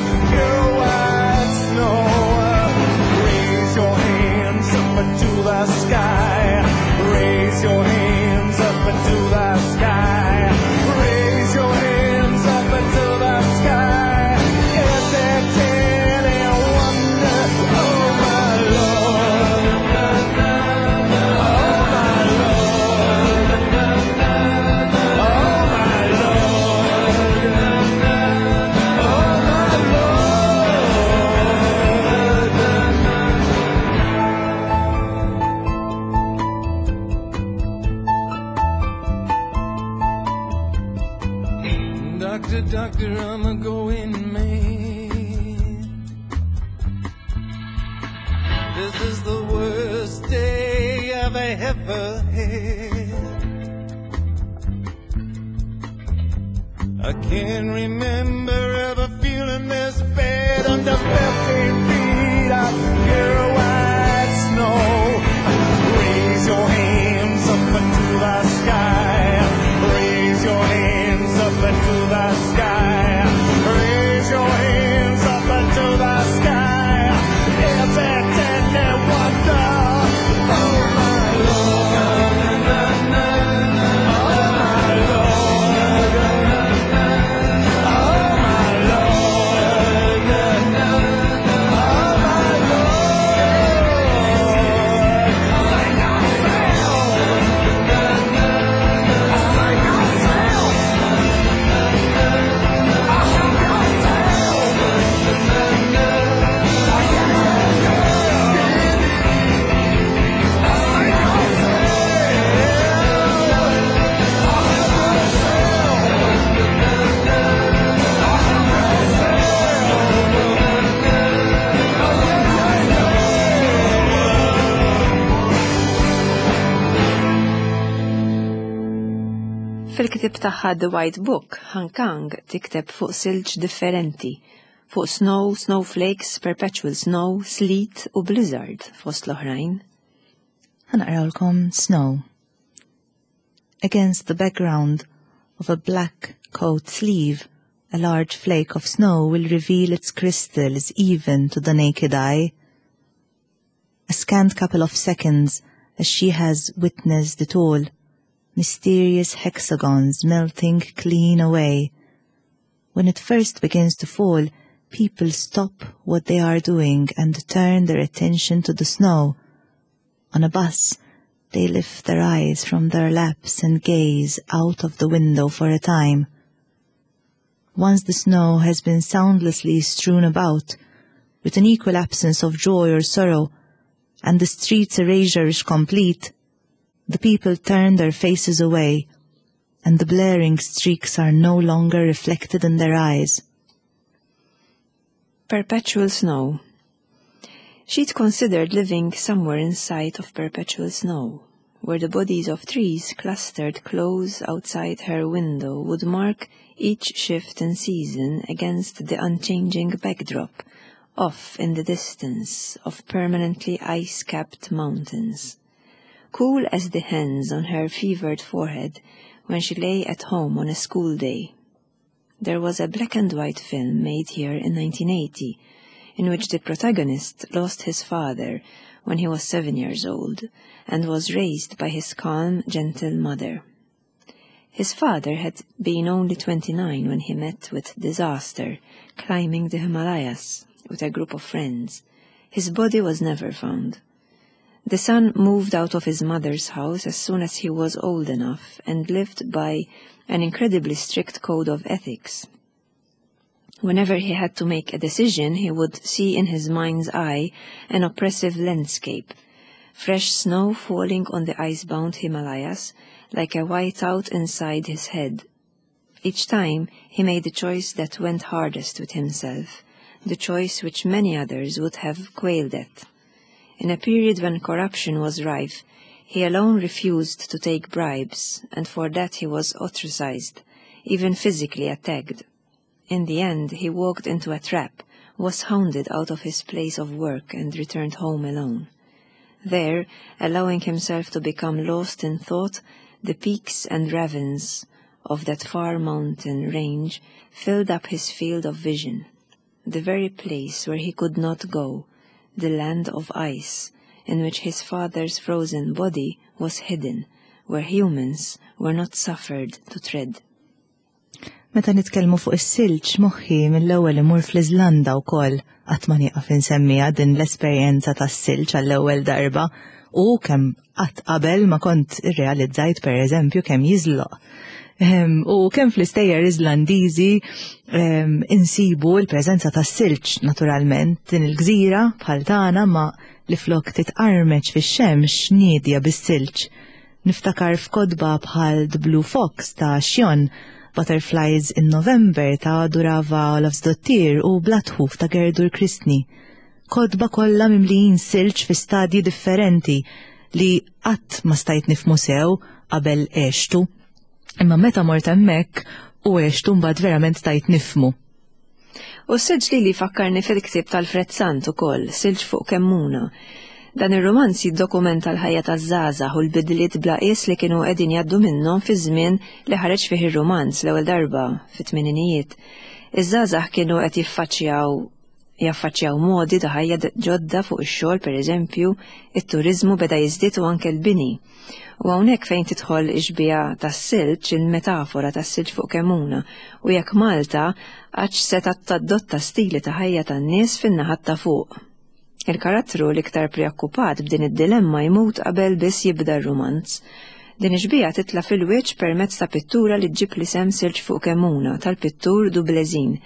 This is the worst day I've ever had. I can't remember ever feeling this bad under 15 feet of pure white snow. Raise your hands up to the sky. Raise your hands up to the sky. Raise your hands up to the sky. Is it any wonder? Oh my Lord. Oh my Lord. Oh my Lord. Oh my Lord. Sing ourselves. Sing ourselves. Fil-ktieb tagħha The White Book, Han Kang tikteb fuq silġ differenti, fuq snow, snowflakes, perpetual snow, sleet u blizzard fost l-oħrajn. Ħa naqrawlkom Snow. Against the background of a black coat sleeve, a large flake of snow will reveal its crystals even to the naked eye. A scant couple of seconds as she has witnessed it all, mysterious hexagons melting clean away. When it first begins to fall, people stop what they are doing and turn their attention to the snow. On a bus, they lift their eyes from their laps and gaze out of the window for a time. Once the snow has been soundlessly strewn about, with an equal absence of joy or sorrow, and the street's erasure is complete, the people turn their faces away, and the blaring streaks are no longer reflected in their eyes. Perpetual snow. She'd considered living somewhere in sight of perpetual snow, where the bodies of trees clustered close outside her window would mark each shift in season against the unchanging backdrop, off in the distance, of permanently ice-capped mountains. Cool as the hands on her fevered forehead when she lay at home on a school day. There was a black and white film made here in 1980, in which the protagonist lost his father when he was 7 years old and was raised by his calm, gentle mother. His father had been only 29 when he met with disaster, climbing the Himalayas with a group of friends. His body was never found. The son moved out of his mother's house as soon as he was old enough and lived by an incredibly strict code of ethics. Whenever he had to make a decision, he would see in his mind's eye an oppressive landscape, fresh snow falling on the icebound Himalayas like a whiteout inside his head. Each time he made the choice that went hardest with himself, the choice which many others would have quailed at. In a period when corruption was rife, he alone refused to take bribes, and for that he was ostracized, even physically attacked. In the end, he walked into a trap, was hounded out of his place of work, and returned home alone. There, allowing himself to become lost in thought, the peaks and ravines of that far mountain range filled up his field of vision, the very place where he could not go, the land of ice, in which his father's frozen body was hidden, where humans were not suffered to tread. Meta nitkellmu fuq is-silġ moħħi mill-ewwel imur fl-Iżlanda wkoll qatt ma nieqaf insemmiha din l-esperjenza tas-silġ għall-ewwel darba u kemm qatt qabel ma kont irrealizzajt pereżempju kemm jiżloq. U kemm fl-istejjer Iżlandiżi insibu l-preżenza tas-silġ naturalment din il-gżira bħal tagħna ma li flok titqarmeċ fix-xemx niedja bis-silġ. Niftakar f'kotba bħal The Blue Fox ta' Sjón, Butterflies in November ta' Durava Olafsdottir u Blatħuf ta' Gerdur Kristni. Kotba kollha mimlijin silġ fi stadji differenti li qatt ma stajt nifhmu sew qabel għextu. Imma meta mort hemmhekk u għextu mbagħad verament stajt nifhmu. U s-silġ lili jfakkarni fil-ktieb t'Alfred Sant ukoll, Silġ fuq Kemmuna. Dan ir-rumanz jiddokumenta l-ħajja taż-żgħażagħ u l-bidliet bla qies li kienu qegħdin jgħaddu minnhom fiż-żmien li ħareġ fih ir-rumanz l-ewwel darba, fit-tmeninijiet. Iż-żgħażagħ kienu qed jiffaċċjaw jaffaċċjaw modi ta' ħajja ġodda fuq ix-xogħol pereżempju, it-turiżmu beda jiżdied u anke l-bini. U hawnhekk fejn tidħol ix-xbieha tas-silġ, il-metafora tas-silġ fuq Kemmuna, u jekk Malta għadx setgħet tadotta stili ta' ħajja tan-nies fin-naħat ta' fuq. Il-karattru l-iktar preokkupat b'din id-dilemma jmut qabel biss jibda r-rumanz. Din ix-xbieha titla' fil-wiċċ permezz ta' pittura li ġġib l-isem Silġ fuq Kemmuna tal-pittur Dublezin,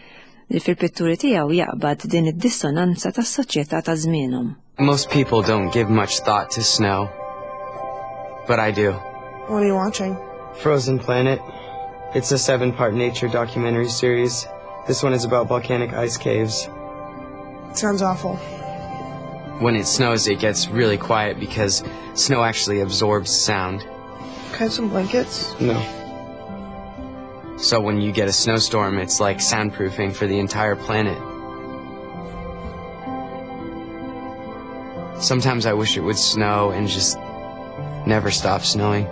li fil-pitturi tiegħu jaqbad din id-dissonanza tas-soċjetà ta' żmienhom. Most people don't give much thought to snow, but I do. What are you watching? Frozen Planet. It's a 7-part nature documentary series. This one is about volcanic ice caves. It sounds awful. When it snows, it gets really quiet because snow actually absorbs sound. Can I have some blankets? No. So when you get a snowstorm, it's like soundproofing for the entire planet. Sometimes I wish it would snow and just never stop snowing.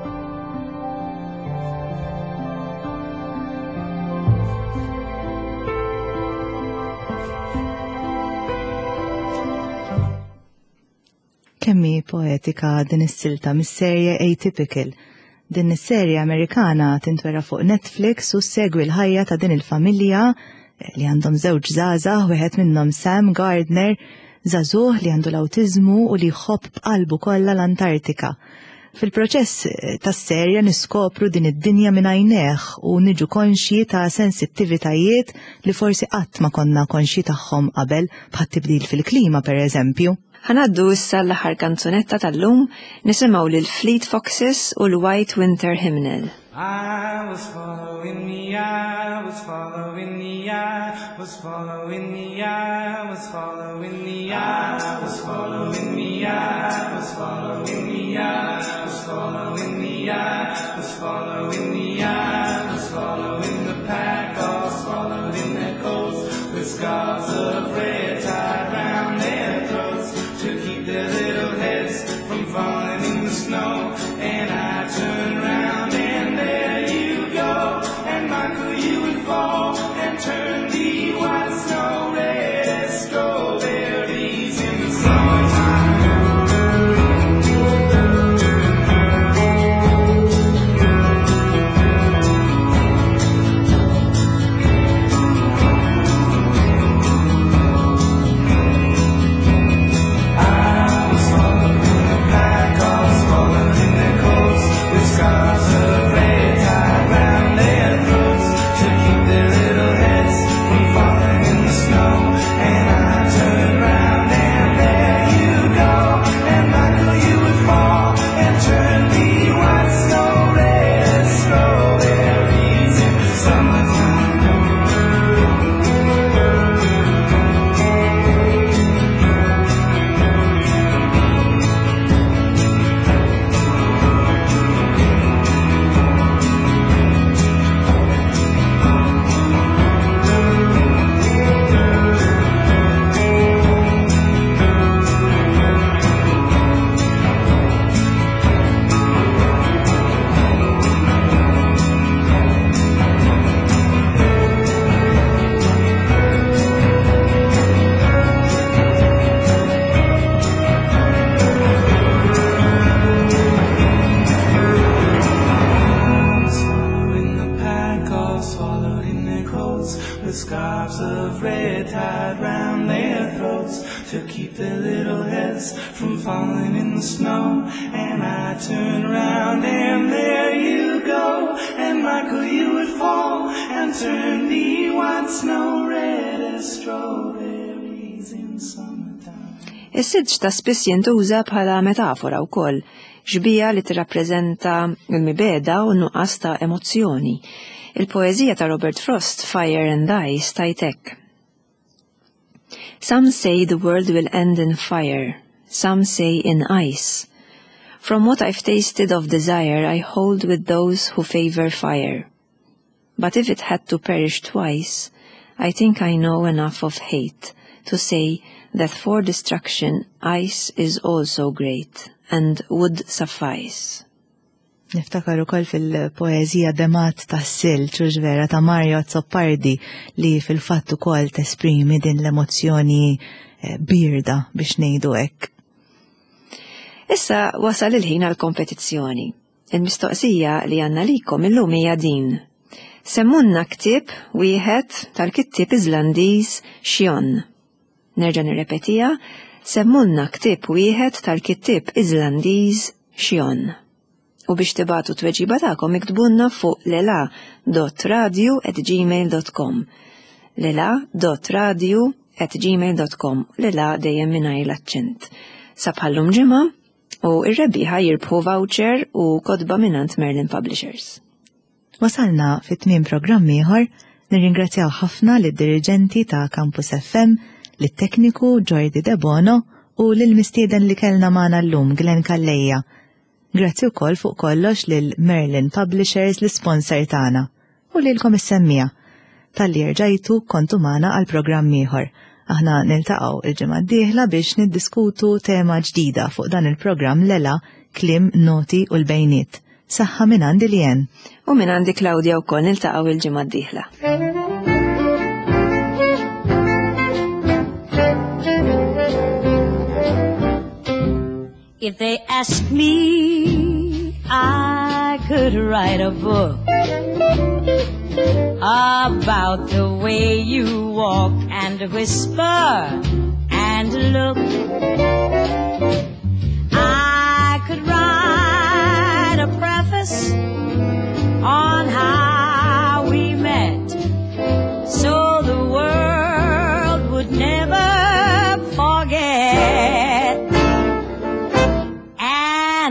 Kemm hi poetika din is-silta mis-serje Atypical. Din is-serje Amerikana tintwera fuq Netflix u ssegwi l-ħajja ta' din il-familja li għandhom żewġ żgħażagħ, wieħed minnhom Sam Gardner, żagħżugħ li għandu l-awtiżmu u li jħobb b'qalbu kollha l-Antartika. Fil-proċess tas-serje niskopru din id-dinja minn għajnejh u niġu konxji ta' sensittivitajiet li forsi qatt ma konna konxji tagħhom qabel, bħat-tibdil fil-klima pereżempju. Ħa ngħaddu issa l-aħħar kanzunetta tal-lum, nisimgħu lil Fleet Foxes u l-White Winter Hymnal. I was following the I was following the I was following the I was following the I was following the I was following the I was following the I was following the I was following the pack all swallowed in their coats with scarves of red tied round their throats to keep their little heads from falling in the snow. And I turn round and there you go, and Michael you would fall and turn the white snow red as strawberries in the summertime. I was swallowed in the pack, all swallowed in their coats, with scarves of red tied round their throats to keep their little heads from falling in the snow. And I turned round and there you go, and Michael you would fall and turn the white snow red as strawberries in the summertime. Swallowing the pack, all swallowed in their coats, with scarves of red tied round their throats to keep their little heads from falling in the snow. And I turn round and there you go, and Michael you would fall and turn the white snow red as strawberries in summertime. Is-silġ ta' spiss jintuża bħala metafora wkoll, xbieha li tirrappreżenta l-mibegħda u n-nuqqas ta' emozzjoni. Il-poeżija ta' Robert Frost, Fire and Ice, tgħid hekk. Some say the world will end in fire, some say in ice. From what I've tasted of desire, I hold with those who favor fire. But if it had to perish twice, I think I know enough of hate to say that for destruction ice is also great and would suffice. Niftakar ukoll fil-poeżija Demat tas-Silġ u vera ta' Mario Azzopardi li fil-fatt ukoll tesprimi din l-emozzjoni eh, birda biex ngħidu hekk. Issa wasal il-ħin għal kompetizzjoni. Il-mistoqsija li għandna likom illum hija din. Semmunna ktieb wieħed tal-kittieb Iżlandiż Sjón. Nerġa' nirrepetiha, semmunna ktieb wieħed tal-kittieb Iżlandiż Sjón. U biex tibagħtu t-tweġiba tagħkom iktbulna fuq lela.radio@gmail.com lela.radio@gmail.com Lela dejjem mingħajr l-aċċent. Sa bħallum ġimgħa u r-rebbieħa jirbħu voucher u kotba mingħand Merlin Publishers. Wasalna fi tmiem programm ieħor, nirringrazzjaw ħafna lid-diriġenti ta' Campus FM, lit-tekniku Jordi Debono u lill-mistieden li kellna magħna llum Glenn Calleja. Grazzi wkoll fuq kollox lil Merlin Publishers l-isponsor tagħna u lilkom is-semmiegħa talli erġajtu kontu magħna għal programm ieħor. Aħna niltaqgħu il-ġimgħa d-dieħla biex niddiskutu tema ġdida fuq dan il-programm Lela, Kliem, Noti u l-Bejniet. Saħħa minn għandi Lien. U minn għandi Claudia wkoll niltaqgħu il-ġimgħa d-dieħla. If they ask me, I could write a book about the way you walk and whisper and look. I could write a preface on how we met, so the world would never forget.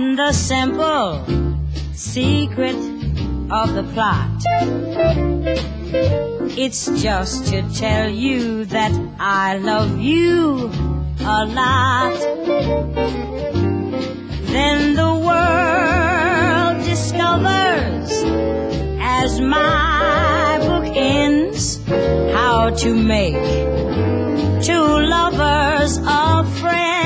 And the simple secret of the plot, it's just to tell you that I love you a lot. Then the world discovers, as my book ends, how to make two lovers of friends.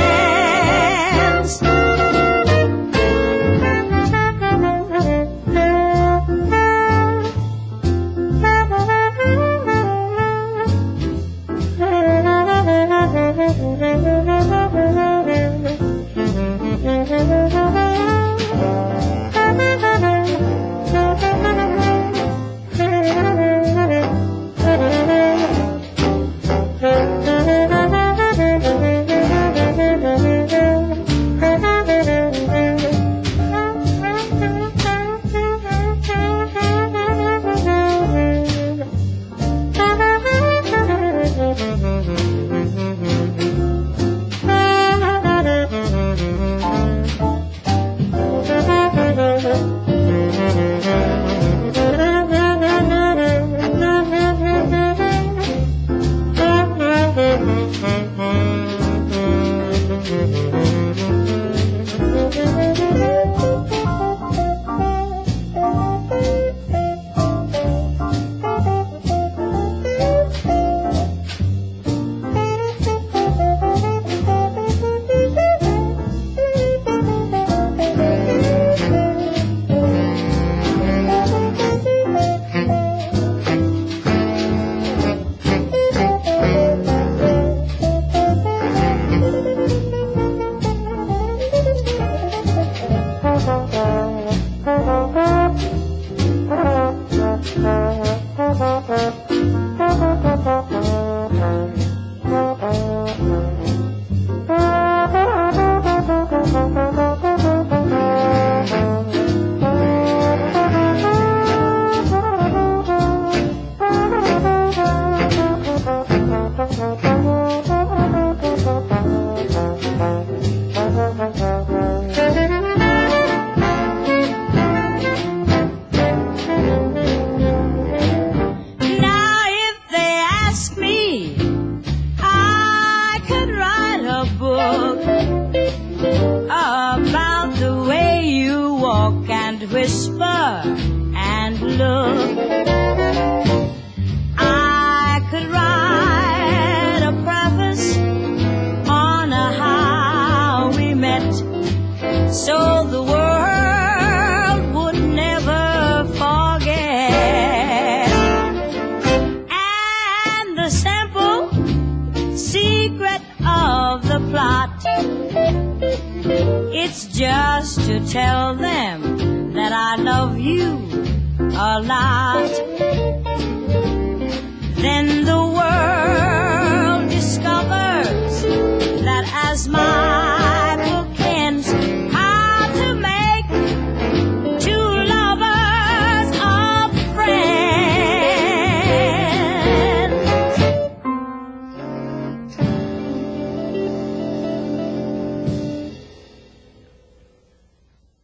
secret of the plot. It's just to tell them that I love you a lot.